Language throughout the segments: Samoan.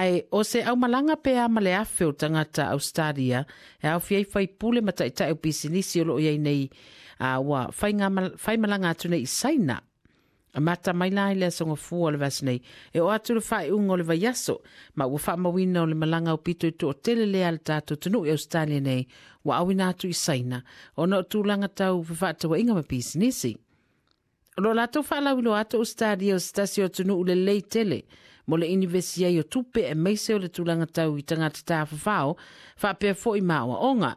Ae o se aumalaga pe a ma le 1,000 o tagata Ausetalia e aofia ai faipule ma taitai o pisinisi o loo i ai nei a ua faimalaga atu nei i Saina. Amata mai la i le aso Gafua o le vaiaso nei e oo atu i le faaiuga o le vaiaso, ma ua faamauina o le malaga aupito i toatele lea a le tatou atunuu i Ausetalia nei ua auina atu i Saina ona o tulaga tau fefaatauaiga ma pisinisi. O lo o latou faalauiloa atu Ausetalia o se tasi o atunuu lelei tele mo le inivesi ai o tupe aemaise o le tulaga tau i tagata tafafao faapea foi ma aoaoga.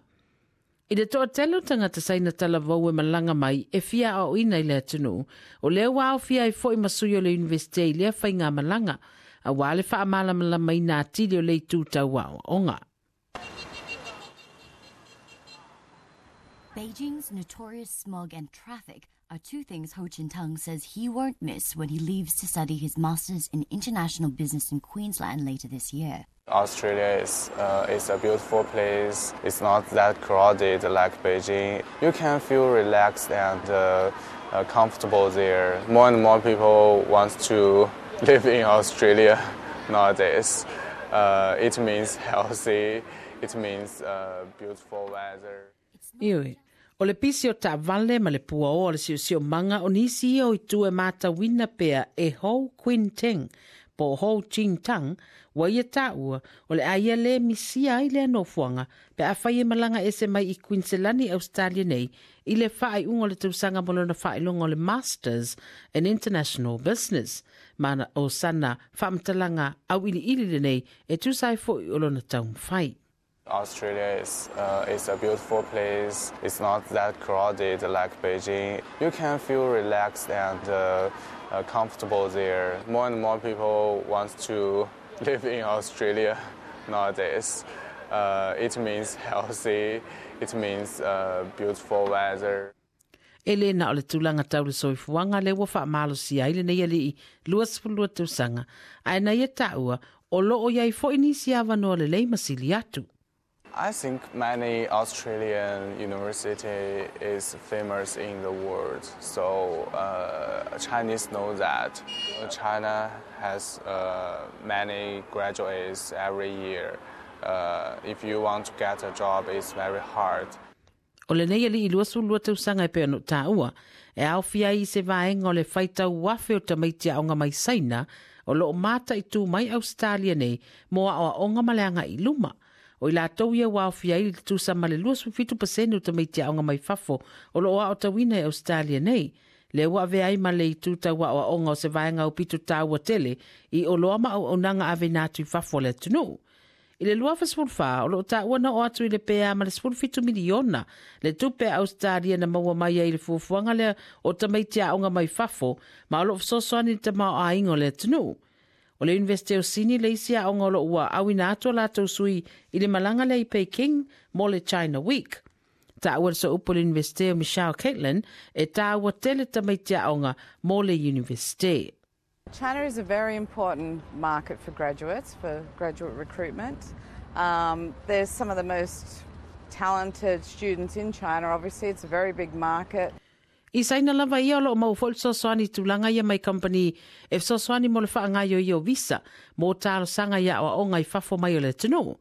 I le toatele o tagata Saina talavou e malaga mai e fia aoaoina i le atunuu, o lea ua aofia ai foi ma sui o le Iunivesite i lea faigamalaga, aua le faamalamalamaina atili o le itu tau aoaoga. Beijing's notorious smog and traffic are two things Ho Chin Tung says he won't miss when he leaves to study his Masters in International Business in Queensland later this year. Australia is a beautiful place. It's not that crowded like Beijing. You can feel relaxed and comfortable there. More and more people want to live in Australia nowadays. It means healthy, it means beautiful weather. Ioe, o le pisi o taavale ma le puaoa o le siosiomaga o nisi ia o itu e matauina pea e Ho Quin Teng po o Ho Ching Tang ua ia taua o le a ia lē misia ai lea nofoaga pe afai e malaga ese mai i Kuiniselani Ausetalia nei i le faaiuga o le tausaga mo lona faailoga o le Masters in International Business ma o sana faamatalaga auiliili lenei e tusa ai foi o lona taumafai. Australia is a beautiful place. It's not that crowded like Beijing. You can feel relaxed and comfortable there. More and more people want to live in Australia nowadays. It means healthy, it means beautiful weather. E le na o le tulaga tau le soifuaga lea ua faamalosia ai lenei alii 22 tausaga, ae na ia taua o loo i ai foi nisi avanoa lelei ma sili atu. I think many Australian university is famous in the world, so Chinese know that. China has many graduates every year. If you want to get a job, it's very hard. O lenei alii 22 tausaga e pei ona ou taua, e aofia ai i se vaega o le faitau afe o tamaiti aoga mai Saina o loo mataitu mai Ausetalia nei mo aoaoga ma le agai i luma. O i latou ia ua aofia ai le tusa ma le 27% o tamaiti aoga mai fafo o loo aotauina i Ausetalia nei. Lea ua avea ai ma le itu tau aoaoga o se vaega aupito taua tele i oloa ma auaunaga aveina atu i fafo a le atunuu. I le 2014, o loo taua na oo atu i le pe a ma le 17 miliona le tupe a Ausetalia na maua mai ai i le fuafuaga lea o tamaiti aoga mai fafo ma o loo fesoasoani i le tamaoaiga o le atunuu. O le Iunivesite o Sini le isi aoga o loo ua auina atu a latou sui i le malaga lea i Peking mo le China Week. Taua le sooupu o le Iunivesite o Michelle Caitlin e taua tele tamaiti aoga mo le Iunivesite. China is a very important market for graduates, for graduate recruitment. There's some of the most talented students in China. Obviously, it's a very big market. I Saina lava ia o loo maua foi le fesoasoani i tulaga ia mai kamupani e fesoasoani mo le faagaoioia o visa mo talosaga i aoaoga i fafo mai o le atunuu.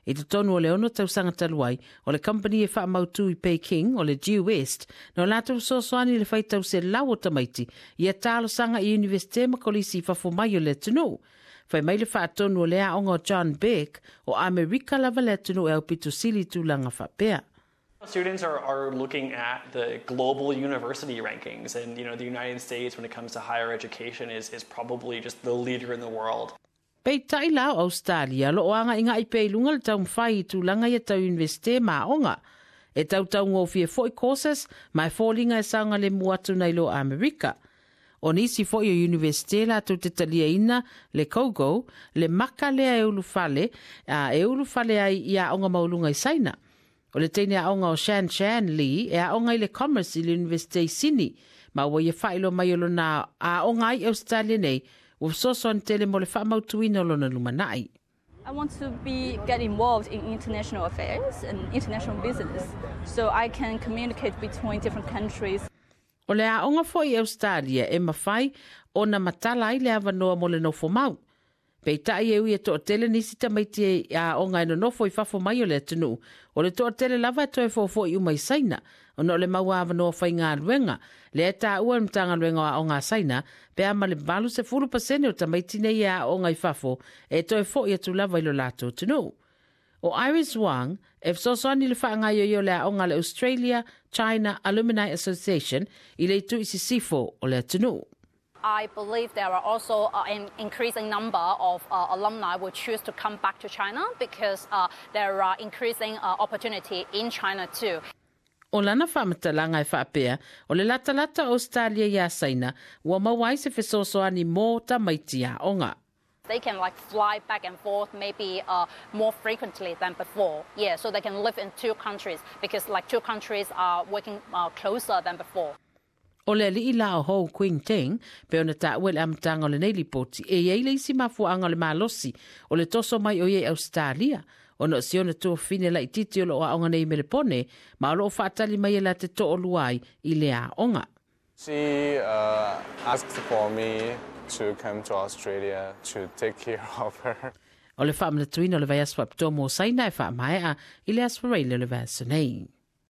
I totonu o le 6 tausaga talu ai, o le kamupani e faamautu i Peking, o le Due West, na o latou fesoasoani i le faitau selau o tamaiti ia talosaga i Iunivesite ma kolisi i fafo mai o le atunuu. Fai mai le faatonu o le aoga o John Beck, o Amerika lava le atunuu e aupito sili i tulaga faapea. Students are looking at the global university rankings, and the United States, when it comes to higher education, is probably just the leader in the world. Peitai la o Ausetalia, o loo agaigai pea i luga le taumafai i tulaga ia tau Iunivesite ma aoga. E tautaugofie foi courses ma e foliga e saogalemu atu nai lo Amerika. O nisi foi o Iunivesite latou te taliaina le Kogo, le maka lea e ulufale, a e ulufale ai i aoga maualuga i Saina. O le teine aoga o Shan Shan Lee e aoga i le Commerce i le Iunivesite i Sini, ma ua ia faailoa mai o lona aoga ai i Ausetalia nei, ua fesoasoani tele mo le faamautuina o lona lumanai. I want to be get involved in international affairs and international business so I can communicate between different countries. O le aoga foi i Ausetalia e mafai ona matala ai le avanoa mo le nofo mau. Peitai e ui e toatele nisi tamaiti e aoga e nonofo i fafo mai o le atunuu, o le toatele lava e toe fofo'i uma i Saina, ona o le mau avanoa faigaluega, lea e taua e le Matagaluega o Aoga a Saina, pe a ma le 80% o tamaiti nei e aoga i fafo e toe fo'i atu lava i lo latou atunuu. O Iris Wang, e fesoasoani i le faagaioio o le aoga a le Australia China Alumni Association i le itu i sisifo o le atunuu. I believe there are also an increasing number of alumni will choose to come back to China because there are increasing opportunity in China too. O lana faamatalaga e faapea, o le latalata o Ausetalia iā Saina ua maua ai se fesoasoani mo tamaiti aoga. They can like fly back and forth maybe more frequently than before. Yeah, so they can live in two countries because like two countries are working closer than before. O le alii la o Ho Quing Teng, pei ona taua i le amataga o lenei lipoti, e i ai le isi mafuaaga o le malosi o le toso mai o ia i Ausetalia, ona o si ona tuafafine laitiiti o lo o aoga nei i Melepone, ma o lo o faatali mai e la te toalua ai i le aoga. She asked for me to come to Australia to take care of her. O le faamanatuina o le vaiaso faapitoa mo Saina e faamaea i le Aso Faraile o le vaiaso nei.